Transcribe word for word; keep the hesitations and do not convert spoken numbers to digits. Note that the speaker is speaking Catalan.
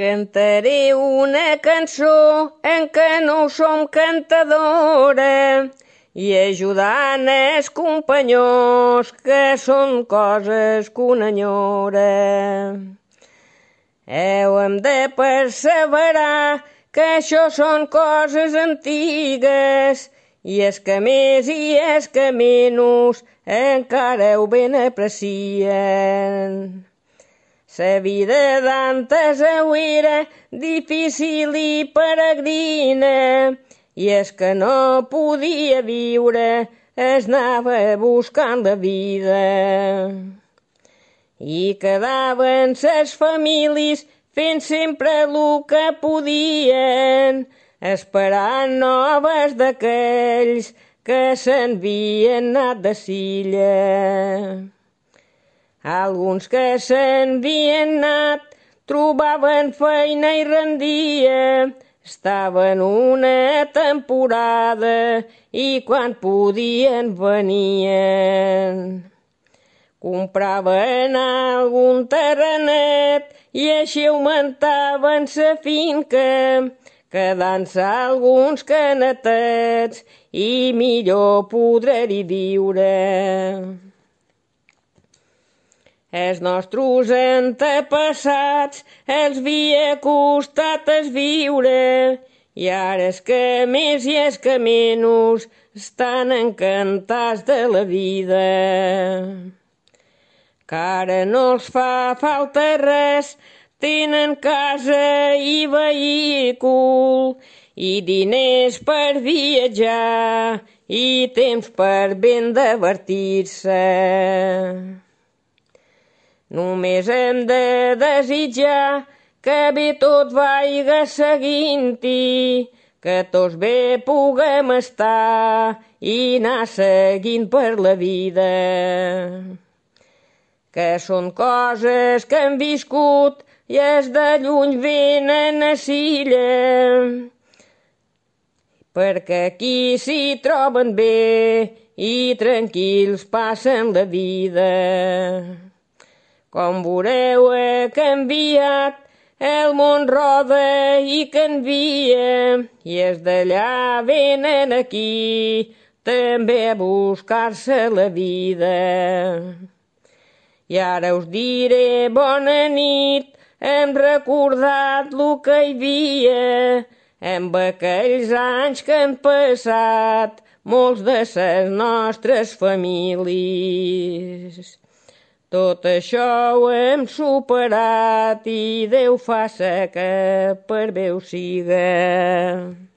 Cantaré una cançó en què no som cantadora i ajudant els companyons que són coses que una enyora. Heu de perseverar que això són coses antigues i els que més i els que menys encara ho ben aprecien. La vida d'antes era difícil i peregrina i els que no podia viure es anava buscant la vida. I quedaven ses famílies fent sempre el que podien, esperant noves d'aquells que s'havien anat de silla. Alguns que s'havien anat trobaven feina i rendia, estaven una temporada i quan podien venien. Compraven algun terrenet i així augmentaven sa finca, quedant-se alguns canetets i millor poder-hi viure. Els nostres antepassats els havia costat es viure i ara els que més i els que menys estan encantats de la vida. Que ara no els fa falta res, tenen casa i vehícul i diners per viatjar i temps per ben divertir-se. Només hem de desitjar que bé tot vaiga seguint-hi, que tots bé puguem estar i anar seguint per la vida. Que són coses que hem viscut i els de lluny venen a Silla, perquè aquí s'hi troben bé i tranquils passen la vida. Com veureu ha canviat, el món roda i canvia, i els d'allà venen aquí també a buscar-se la vida. I ara us diré bona nit, hem recordat lo que hi havia, amb aquells anys que han passat molts de les nostres famílies. Tot això ho hem superat i Déu faça que per bé ho siga.